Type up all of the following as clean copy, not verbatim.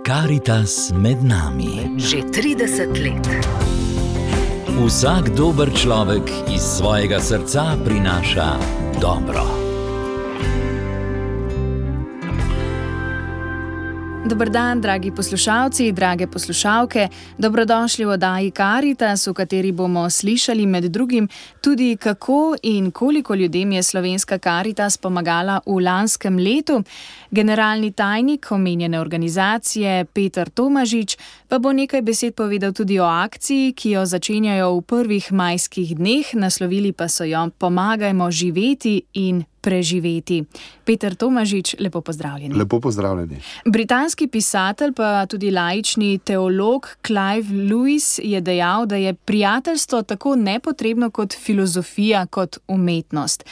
Karitas med nami. Že 30 let. Vsak dober človek iz svojega srca prinaša dobro. Dober dan, dragi poslušalci, drage poslušalke. Dobrodošli v oddaji Karitas, v kateri bomo slišali med drugim tudi, kako in koliko ljudem je slovenska Karitas pomagala v lanskem letu. Generalni tajnik omenjene organizacije Peter Tomažič pa bo nekaj besed povedal tudi o akciji, ki jo začenjajo v prvih majskih dneh, naslovili pa so jo Pomagajmo živeti in preživeti. Peter Tomažič, lepo pozdravljeni. Lepo pozdravljeni. Britanski pisatelj pa tudi laični teolog Clive Lewis je dejal, da je prijateljstvo tako nepotrebno kot filozofija, kot umetnost.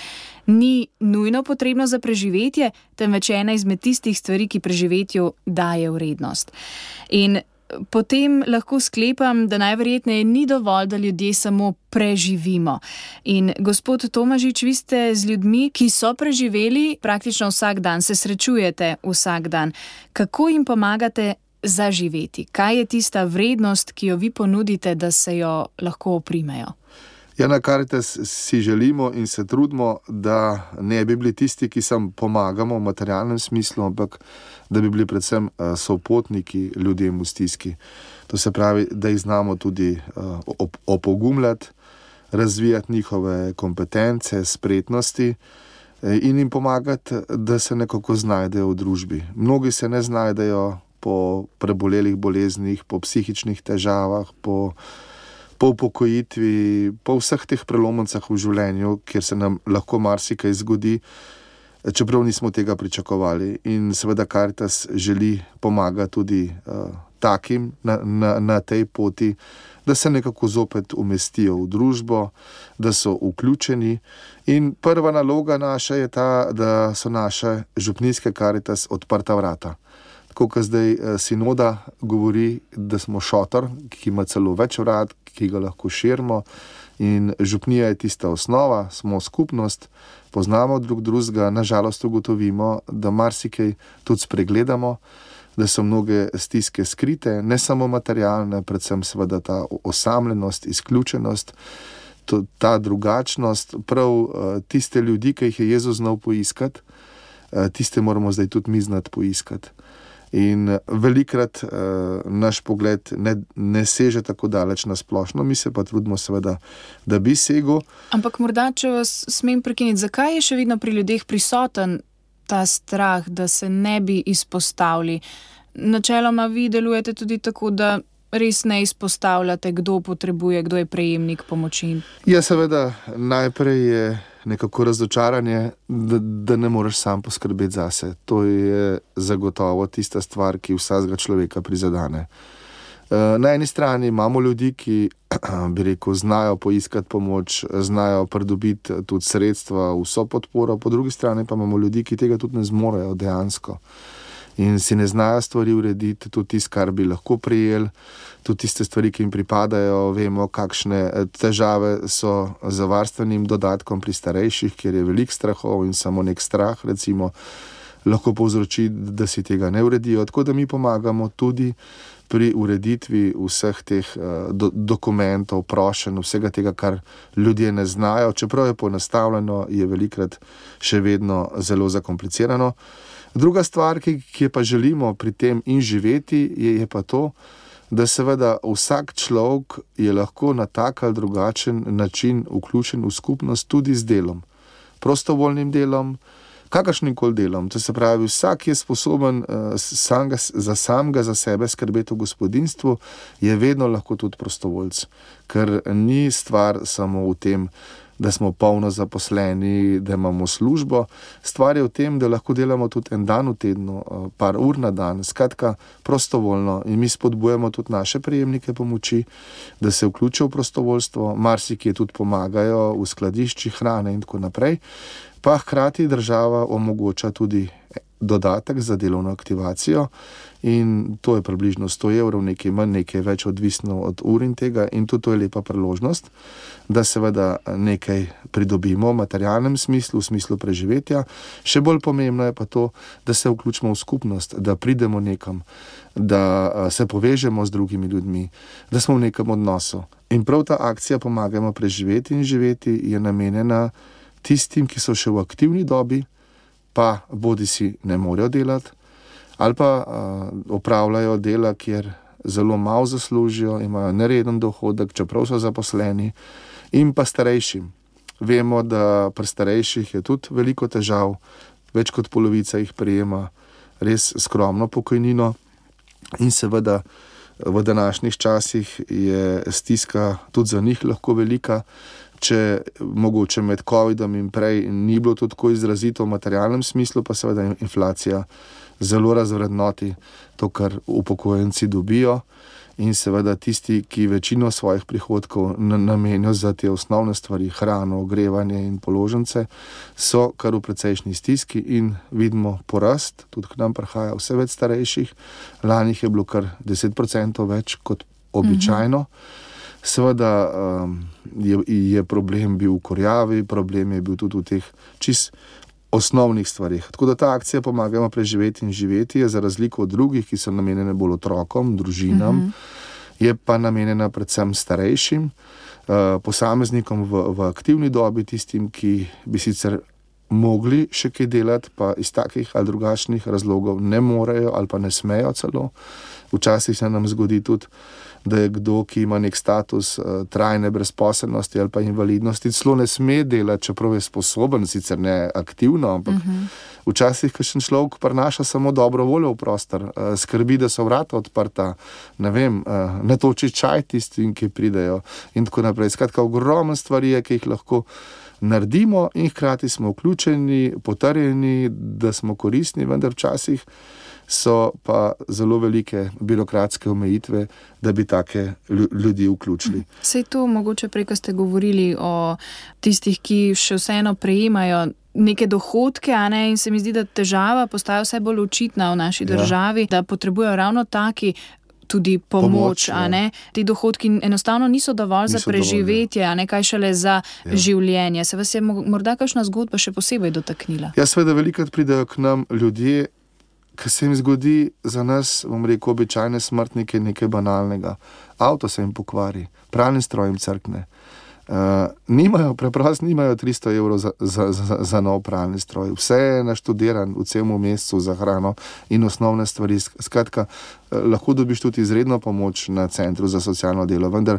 Ni nujno potrebno za preživetje, temveč ena izmed tistih stvari, ki preživetju daje vrednost. In potem lahko sklepam, da najverjetneje ni dovolj, da ljudje samo preživimo. In gospod Tomažič, vi ste z ljudmi, ki so preživeli praktično vsak dan, se srečujete vsak dan. Kako jim pomagate zaživeti? Kaj je tista vrednost, ki jo vi ponudite, da se jo lahko oprimejo? Ja, na Karitas si želimo in se trudimo, da ne bi bili tisti, ki sam pomagamo v materialnem smislu, ampak da bi bili predvsem sopotniki ljudem v stiski. To se pravi, da jih znamo tudi opogumljati, razvijati njihove kompetence, spretnosti in jim pomagati, da se nekako znajdejo v družbi. Mnogi se ne znajdejo po prebolelih boleznih, po psihičnih težavah, po upokojitvi, po vseh teh prelomnicah v življenju, kjer se nam lahko marsikaj zgodi, čeprav nismo tega pričakovali. In seveda Karitas želi pomagati tudi takim na tej poti, da se nekako zopet umestijo v družbo, da so vključeni. In prva naloga naša je ta, da so naše župnijske Karitas odprta vrata. Tako kot zdaj sinoda govori, da smo šotor, ki ima celo več vrat, ki ga lahko širimo, in župnija je tista osnova, smo skupnost, poznamo drug drugega, nažalost ugotovimo, da marsikaj tudi spregledamo, da so mnoge stiske skrite, ne samo materialne, predvsem seveda ta osamljenost, izključenost, ta drugačnost, prav tiste ljudi, ki jih je Jezus znal poiskati, tiste moramo zdaj tudi mi znati poiskati. In velikrat naš pogled ne seže tako daleč na splošno, mi se pa trudimo seveda, da bi segel. Ampak morda, če vas smem prekiniti, zakaj je še vedno pri ljudeh prisoten ta strah, da se ne bi izpostavili? Načeloma vi delujete tudi tako, da res ne izpostavljate, kdo potrebuje, kdo je prejemnik pomoči. Ja, seveda, najprej je nekako razočaranje, da ne moreš sam poskrbeti zase. To je zagotovo tista stvar, ki vsakega človeka prizadene. Na eni strani imamo ljudi, ki, bi rekel, znajo poiskati pomoč, znajo pridobiti tudi sredstva, vso podporo, po drugi strani pa imamo ljudi, ki tega tudi ne zmorejo dejansko. In si ne znajo stvari urediti, tudi tisto, kar bi lahko prijeli, tudi tiste stvari, ki jim pripadajo. Vemo, kakšne težave so z varstvenim dodatkom pri starejših, kjer je veliko strahov in samo nek strah, recimo, lahko povzroči, da si tega ne uredijo. Tako da mi pomagamo tudi pri ureditvi vseh teh dokumentov, prošenj, vsega tega, kar ljudje ne znajo. Čeprav je poenostavljeno, je velikrat še vedno zelo zakomplicirano. Druga stvar, ki pa želimo pri tem in živeti, je pa to, da seveda vsak človek je lahko na tak ali drugačen način vključen v skupnost tudi z delom. Prostovoljnim delom, kakršnim koli delom. To se pravi, vsak je sposoben za sebe skrbeti v gospodinjstvu, je vedno lahko tudi prostovoljc. Ker ni stvar samo v tem, da smo polno zaposleni, da imamo službo. Stvar je v tem, da lahko delamo tudi en dan v tednu, par ur na dan, skratka prostovoljno. In mi spodbujamo tudi naše prejemnike pomoči, da se vključijo v prostovoljstvo, marsikje tudi pomagajo v skladiščih hrane in tako naprej. Pa hkrati država omogoča tudi dodatek za delovno aktivacijo in to je približno 100 evrov, nekaj manj, nekaj več, odvisno od ur in tega, in tudi to je lepa priložnost, da seveda nekaj pridobimo v materialnem smislu, v smislu preživetja. Še bolj pomembno je pa to, da se vključimo v skupnost, da pridemo nekam, da se povežemo z drugimi ljudmi, da smo v nekem odnosu. In prav ta akcija Pomagajmo preživeti in živeti je namenjena tistim, ki so še v aktivni dobi, pa bodisi ne morejo delati, ali pa opravljajo dela, kjer zelo malo zaslužijo, imajo nereden dohodek, čeprav so zaposleni, in pa starejšim. Vemo, da pri starejših je tudi veliko težav, več kot polovica jih prejema res skromno pokojnino in seveda v današnjih časih je stiska tudi za njih lahko velika. Če mogoče med covidom in prej ni bilo to tako izrazito v materialnem smislu, pa seveda inflacija zelo razvrednoti to, kar upokojenci dobijo, in seveda tisti, ki večino svojih prihodkov namenijo za te osnovne stvari, hrano, ogrevanje in položnice, so kar v precejšnji stiski in vidimo porast, tudi k nam prihaja vse več starejših, lani je bilo kar 10% več kot običajno. Seveda je problem bil v kurjavi, problem je bil tudi v teh čist osnovnih stvarih. Tako da ta akcija Pomagajmo preživeti in živeti je za razliko od drugih, ki so namenjene bolj otrokom, družinam, je pa namenjena predvsem starejšim, posameznikom v aktivni dobi, tistim, ki bi sicer mogli še kaj delati, pa iz takih ali drugačnih razlogov ne morejo ali pa ne smejo celo. Včasih se nam zgodi tudi, da je kdo, ki ima nek status trajne brezposelnosti ali pa invalidnosti, celo ne sme delati, čeprav je sposoben, sicer ne aktivno, ampak včasih kakšen človek prinaša samo dobro voljo v prostor, skrbi, da so vrata odprta, ne vem, natoči čaj tistim, ki pridejo in tako naprej. Skratka, ogromno stvari je, ki jih lahko naredimo in hkrati smo vključeni, potrjeni, da smo koristni, vendar včasih so pa zelo velike birokratske omejitve, da bi take ljudi vključili. Sej to mogoče prej, ko ste govorili o tistih, ki še vseeno prejemajo neke dohodke, a ne, in se mi zdi, da težava postaja vse bolj očitna v naši državi, da potrebujejo ravno taki tudi pomoč, a ne. Ti dohodki enostavno niso dovolj za preživetje, a ne, kaj šele za življenje. Se vas je morda kakšna zgodba še posebej dotaknila? Ja, seveda velikokrat pridejo k nam ljudje, ki se jim zgodi za nas, bom rekel, običajne smrtnike nekaj banalnega. Avto se jim pokvari, pralni stroj jim crkne. Preprosto nimajo 300 evrov za nov pralni stroj. Vse je naštudiran v celem mesecu za hrano in osnovne stvari. Skratka, lahko dobiš tudi izredno pomoč na centru za socialno delo, vendar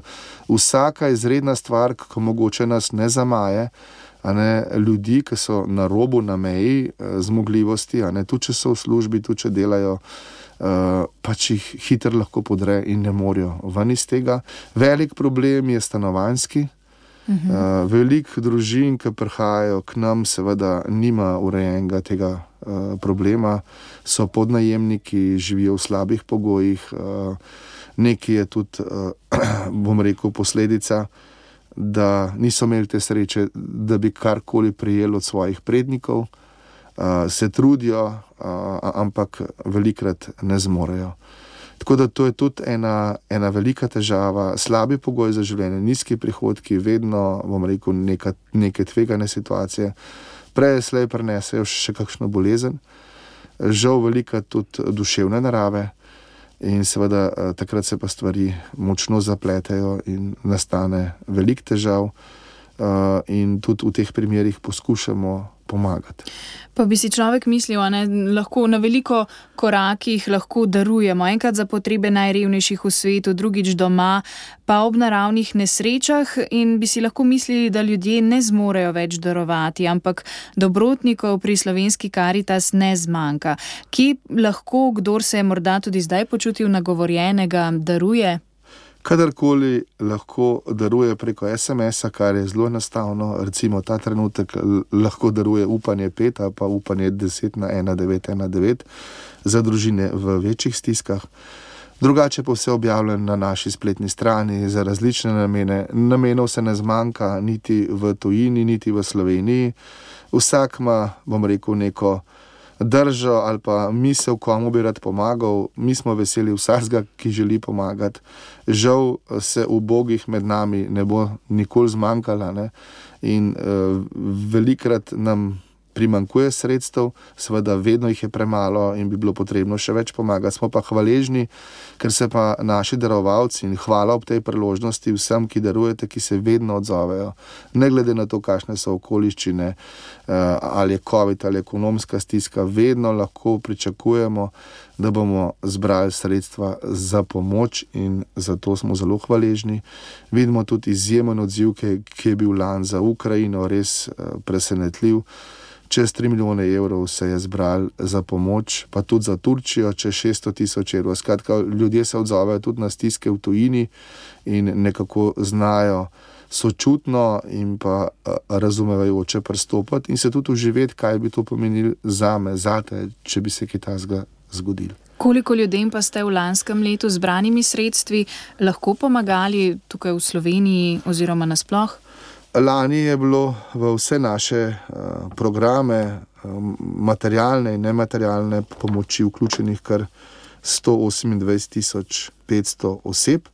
vsaka izredna stvar, ko mogoče nas ne zamaje, a ne, ljudi, ki so na robu, na meji zmogljivosti, a ne, tudi če so v službi, tudi če delajo, pač jih hitro lahko podre in ne morejo ven iz tega. Velik problem je stanovanjski. Veliko družin, ki prihajajo k nam, seveda nima urejenega tega problema, so podnajemniki, živijo v slabih pogojih, nekaj je tudi, bom rekel, posledica, da niso imeli te sreče, da bi karkoli prijeli od svojih prednikov, se trudijo, ampak velikrat ne zmorejo. Tako da to je tudi ena velika težava, slabi pogoj za življenje, nizki prihodki, vedno, bom rekel, neke tvegane situacije, prej slej prinesejo še kakšno bolezen, žal velika tudi duševne narave. In seveda takrat se pa stvari močno zapletejo in nastane veliko težav in tudi v teh primerih poskušamo pomagati. Pa bi si človek mislil, a ne, lahko na veliko korakih lahko darujemo, enkrat za potrebe najrevnejših v svetu, drugič doma, pa ob naravnih nesrečah, in bi si lahko mislili, da ljudje ne zmorejo več darovati, ampak dobrotnikov pri Slovenski Karitas ne zmanjka. Kje lahko, kdor se je morda tudi zdaj počutil nagovorjenega, daruje? Kadarkoli lahko daruje preko SMS-a, kar je zelo enostavno, recimo ta trenutek lahko daruje Upanje 5 ali pa Upanje 10 na 1919 za družine v večjih stiskah. Drugače pa vse objavljeno na naši spletni strani za različne namene. Namenov se ne zmanjka niti v tujini, niti v Sloveniji. Vsak ima, bom rekel, neko držo ali pa misel, komu bi rad pomagal. Mi smo veseli vsakega, ki želi pomagati. Žal se ubogih med nami ne bo nikoli zmanjkala, ne? In velikrat nam primanjkuje sredstev, seveda vedno jih je premalo in bi bilo potrebno še več pomagati. Smo pa hvaležni, ker se pa naši darovalci, in hvala ob tej priložnosti vsem, ki darujete, ki se vedno odzovejo. Ne glede na to, kakšne so okoliščine, ali je COVID ali ekonomska stiska, vedno lahko pričakujemo, da bomo zbrali sredstva za pomoč in zato smo zelo hvaležni. Vidimo tudi izjemen odziv, ki je bil lani za Ukrajino, res presenetljiv. Čez 3 milijone evrov se je zbral za pomoč, pa tudi za Turčijo, čez 600 000 evrov. Skratka, ljudje se odzovejo tudi na stiske v tujini in nekako znajo sočutno in pa razumevajoče pristopati in se tudi uživeti, kaj bi to pomenilo zame, zate, če bi se kaj takega zgodilo. Koliko ljudem pa ste v lanskem letu zbranimi sredstvi lahko pomagali tukaj v Sloveniji oziroma nasploh? Lani je bilo v vse naše programe, materialne in nematerialne pomoči vključenih kar 128 500 oseb.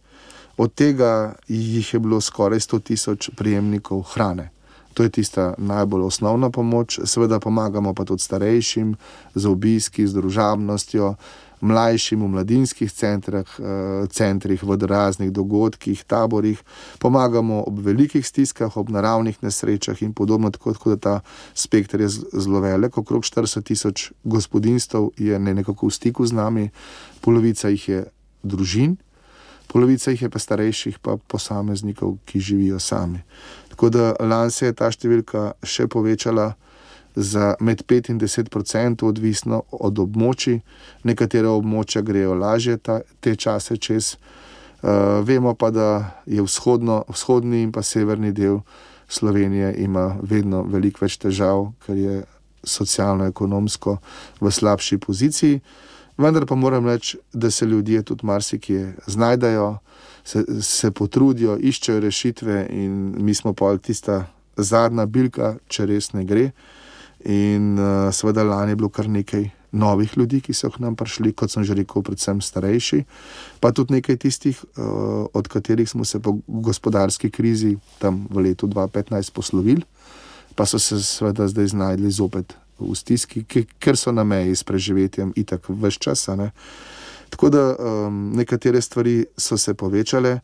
Od tega jih je bilo skoraj 100 000 prejemnikov hrane. To je tista najbolj osnovna pomoč. Seveda pomagamo pa tudi starejšim z obiski, z družabnostjo, mlajšim v mladinskih centrih, v raznih dogodkih, taborih. Pomagamo ob velikih stiskah, ob naravnih nesrečah in podobno, tako da ta spekter je zelo velik. Okrog 40 000 gospodinjstev je nekako v stiku z nami, polovica jih je družin, polovica jih je pa starejših, pa posameznikov, ki živijo sami. Tako da lani se je ta številka še povečala za med 5 in 10%, odvisno od območij. Nekatere območja grejo lažje te čase čez. Vemo pa, da je vzhodni in pa severni del Slovenije ima vedno veliko več težav, ker je socialno-ekonomsko v slabši poziciji. Vendar pa moram reči, da se ljudje tudi marsikje znajdajo, se potrudijo, iščejo rešitve in mi smo pa tista zadnja bilka, če res ne gre. In seveda lani je bilo kar nekaj novih ljudi, ki so k nam prišli, kot sem že rekel, predvsem starejši, pa tudi nekaj tistih, od katerih smo se po gospodarski krizi tam v letu 2015 poslovili, pa so se seveda zdaj znajdli zopet v stiski, ker so na meji s preživetjem itak ves čas, ne. Tako da nekatere stvari so se povečale.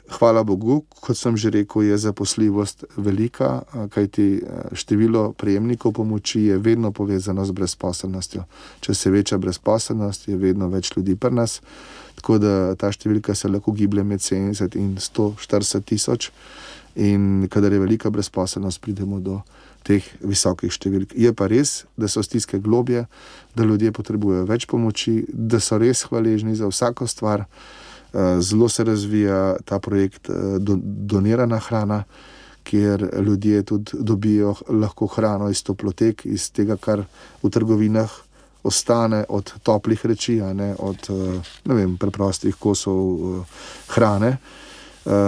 Hvala Bogu, kot sem že rekel, je zaposljivost velika, kajti število prejemnikov pomoči je vedno povezano z brezposelnostjo. Če se veča brezposelnost, je vedno več ljudi pri nas, tako da ta številka se lahko giblje med 70 in 140 000 in kadar je velika brezposelnost, pridemo do teh visokih številk. Je pa res, da so stiske globje, da ljudje potrebujejo več pomoči, da so res hvaležni za vsako stvar. Zelo se razvija ta projekt donirana hrana, kjer ljudje tudi dobijo lahko hrano iz toplotek, iz tega, kar v trgovinah ostane od toplih reči, od preprostih kosov hrane.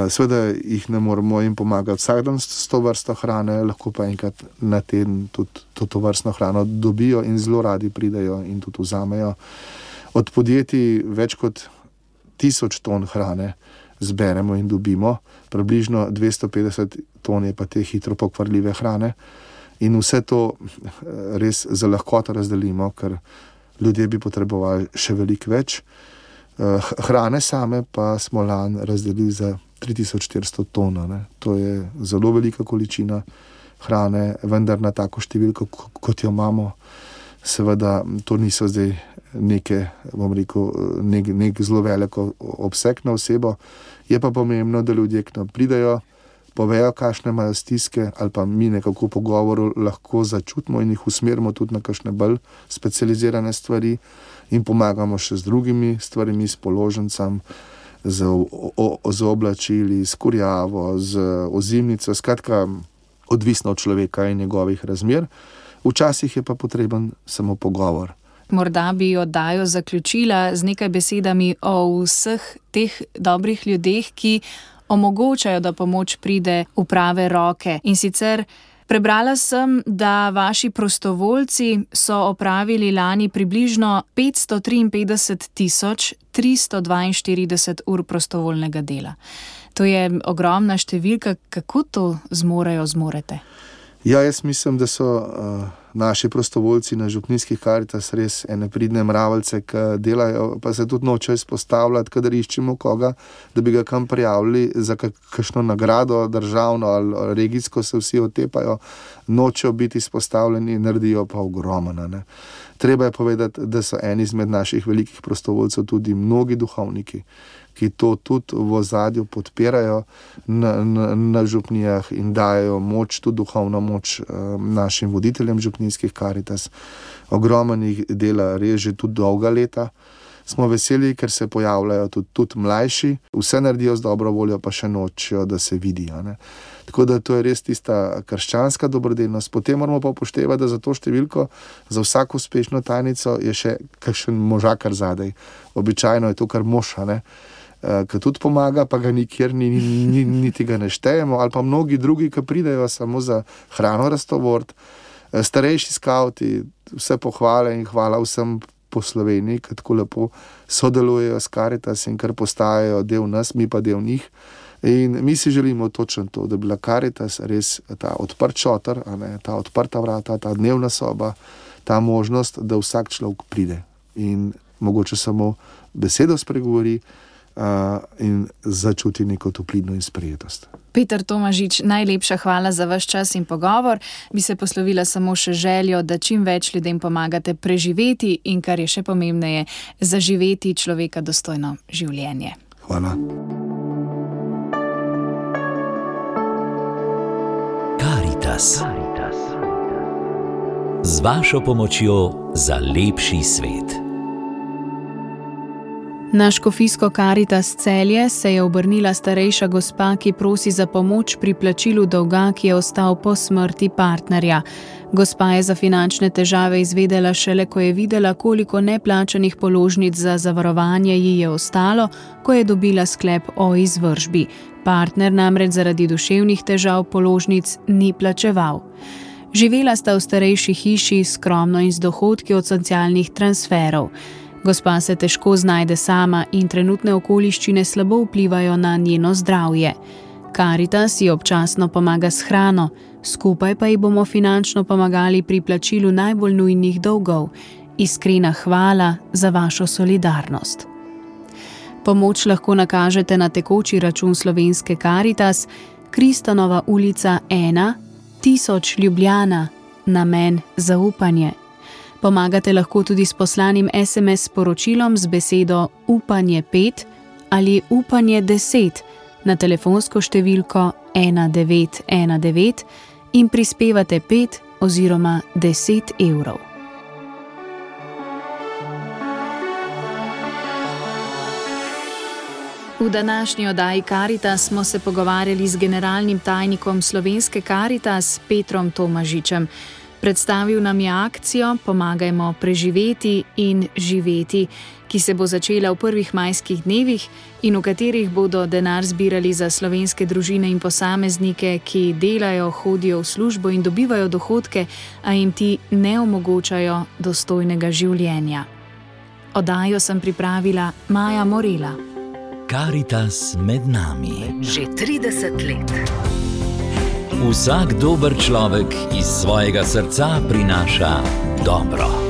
Seveda jih ne moramo jim pomagati vsak dan s to vrsto hrane, lahko pa enkrat na teden tudi to vrstno hrano dobijo in zelo radi pridejo in tudi vzamejo. Od podjetij več kot 1000 ton hrane zberemo in dobimo, približno 250 ton je pa te hitro pokvarljive hrane in vse to res za lahkoto razdelimo, ker ljudje bi potrebovali še veliko več. Hrane same pa smo lani razdelili za 3400 ton. To je zelo velika količina hrane, vendar na tako številko, kot jo imamo, seveda to niso zdaj nek zelo velik obseg na osebo. Je pa pomembno, da ljudje k nam pridejo, povejo, kakšne imajo stiske, ali pa mi nekako v pogovoru lahko začutimo in jih usmerimo tudi na kakšne bolj specializirane stvari in pomagamo še z drugimi stvarmi, s položnicami, z oblačili, s kurjavo, z ozimnico, skratka odvisno od človeka in njegovih razmer. Včasih je pa potreben samo pogovor. Morda bi oddajo zaključila z nekaj besedami o vseh teh dobrih ljudeh, ki omogočajo, da pomoč pride v prave roke. In sicer Prebrala sem, da vaši prostovoljci so opravili lani približno 553.342 ur prostovoljnega dela. To je ogromna številka. Kako to zmorete? Ja, jaz mislim, da so naši prostovoljci na župnijskih Karitas res ene pridne mravljice, ki delajo, pa se tudi nočejo izpostavljati, kadar iščemo koga, da bi ga kam prijavili za kakšno nagrado državno ali regijsko, se vsi otepajo, nočejo biti izpostavljeni, naredijo pa ogromno, ne. Treba je povedati, da so eni izmed naših velikih prostovoljcev tudi mnogi duhovniki, ki to tudi v ozadju podpirajo na župnijah in dajo moč, tudi duhovno moč našim voditeljem župnijskih Karitas. Ogromno jih dela res že tudi dolga leta. Smo veseli, ker se pojavljajo tudi mlajši, vse naredijo z dobro voljo, pa še nočijo, da se vidijo, ne. Tako da to je res tista krščanska dobrodelnost. Potem moramo pa upoštevati, da za to številko, za vsako uspešno tajnico je še kakšen možakar zadaj. Običajno je to kar mož, ne, ki tudi pomaga, pa ga nikjer niti ga ne štejemo, ali pa mnogi drugi, ki pridejo samo za hrano raztovort, starejši skavti, vse pohvale in hvala vsem po Sloveniji, ki tako lepo sodelujejo s Karitas in kar postajajo del nas, mi pa del njih. In mi si želimo točno to, da bi bila Karitas res ta odprt šotor, ta odprta vrata, ta dnevna soba, ta možnost, da vsak človek pride in mogoče samo besedo spregovori in začuti neko toplino in sprejetost. Peter Tomažič, najlepša hvala za vaš čas in pogovor. Bi se poslovila samo še željo, da čim več ljudem pomagate preživeti in, kar je še pomembneje, zaživeti človeka dostojno življenje. Hvala. Karitas. Z vašo pomočjo za lepši svet. Na škofijsko Karitas Celje se je obrnila starejša gospa, ki prosi za pomoč pri plačilu dolga, ki je ostal po smrti partnerja. Gospa je za finančne težave izvedela šele, ko je videla, koliko neplačanih položnic za zavarovanje ji je ostalo, ko je dobila sklep o izvršbi. Partner namreč zaradi duševnih težav položnic ni plačeval. Živela sta v starejši hiši, skromno in z dohodki od socialnih transferov. Gospa se težko znajde sama in trenutne okoliščine slabo vplivajo na njeno zdravje. Karitas ji občasno pomaga s hrano, skupaj pa ji bomo finančno pomagali pri plačilu najbolj nujnih dolgov. Iskrena hvala za vašo solidarnost. Pomoč lahko nakažete na tekoči račun slovenske Karitas, Kristanova ulica 1, 1000 Ljubljana, namen zaupanje. Pomagate lahko tudi s poslanim SMS sporočilom z besedo upanje 5 ali upanje 10 na telefonsko številko 1919 in prispevate 5 oziroma 10 evrov. V današnji oddaji Karitas smo se pogovarjali z generalnim tajnikom slovenske Karitas Petrom Tomažičem. Predstavil nam je akcijo Pomagajmo preživeti in živeti, ki se bo začela v prvih majskih dnevih in v katerih bodo denar zbirali za slovenske družine in posameznike, ki delajo, hodijo v službo in dobivajo dohodke, a jim ti ne omogočajo dostojnega življenja. Oddajo sem pripravila Maja Morela. Karitas med nami. Že 30 let. Vsak dober človek iz svojega srca prinaša dobro.